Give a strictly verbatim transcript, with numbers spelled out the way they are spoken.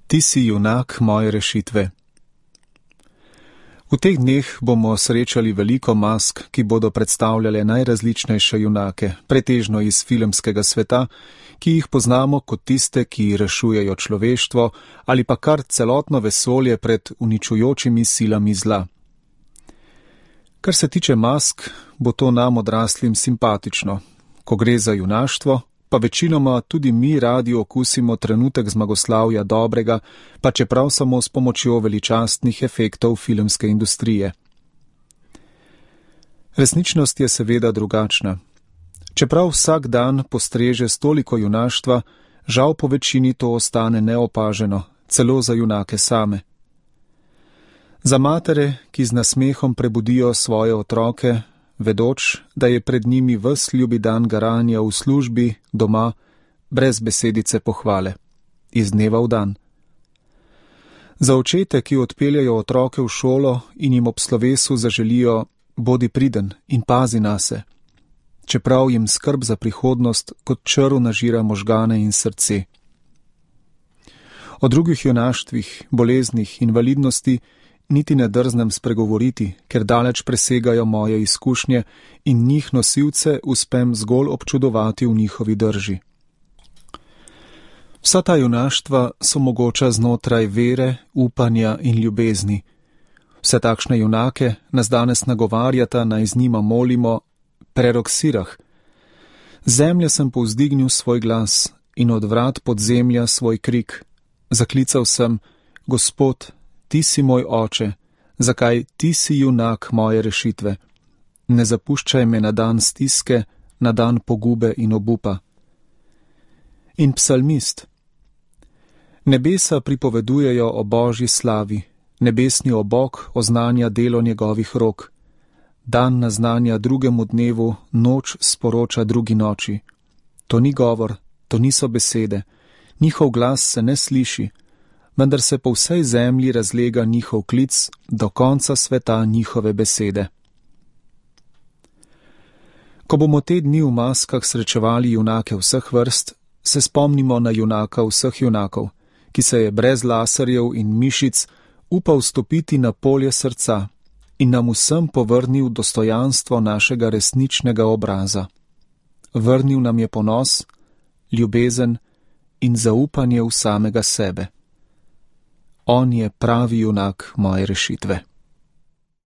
Ti si junak moje rešitve. V teh dneh bomo srečali veliko mask, ki bodo predstavljale najrazličnejše junake, pretežno iz filmskega sveta, ki jih poznamo kot tiste, ki rešujejo človeštvo ali pa kar celotno vesolje pred uničujočimi silami zla. Kar se tiče mask, bo to nam odraslim simpatično. Ko gre za junaštvo, pa večinoma tudi mi radi okusimo trenutek zmagoslavja dobrega, pa čeprav samo s pomočjo veličastnih efektov filmske industrije. Resničnost je seveda drugačna. Čeprav vsak dan postreže s toliko junaštva, žal po večini to ostane neopaženo, celo za junake same. Za matere, ki z nasmehom prebudijo svoje otroke, vedoč, da je pred njimi ves ljubi dan garanja v službi, doma, brez besedice pohvale, iz dneva v dan. Za očete, ki odpeljajo otroke v šolo in jim ob slovesu zaželijo bodi priden in pazi nase, čeprav jim skrb za prihodnost kot črv nažira možgane in srce. O drugih junaštvih, boleznih, invalidnosti niti ne drznem spregovoriti, ker daleč presegajo moje izkušnje in njih nosilce uspem zgolj občudovati v njihovi drži. Vsa ta junaštva so mogoča znotraj vere, upanja in ljubezni. Vse takšne junake nas danes nagovarjata, naj z njima molimo, prerok sirah. Zemlja sem povzdignil svoj glas in od vrat podzemlja svoj krik. Zaklical sem, Gospod, Ti si moj oče, zakaj ti si junak moje rešitve? Ne zapuščaj me na dan stiske, na dan pogube in obupa. In psalmist. Nebesa pripovedujejo o Božji slavi, nebesni obok oznanja delo njegovih rok. Dan naznanja drugemu dnevu, noč sporoča drugi noči. To ni govor, to niso besede, njihov glas se ne sliši, vendar se po vsej zemlji razlega njihov klic, do konca sveta njihove besede. Ko bomo te dni v maskah srečevali junake vseh vrst, se spomnimo na junaka vseh junakov, ki se je brez laserjev in mišic upal stopiti na polje srca in nam vsem povrnil dostojanstvo našega resničnega obraza. Vrnil nam je ponos, ljubezen in zaupanje v samega sebe. On je pravi junak moje rešitve.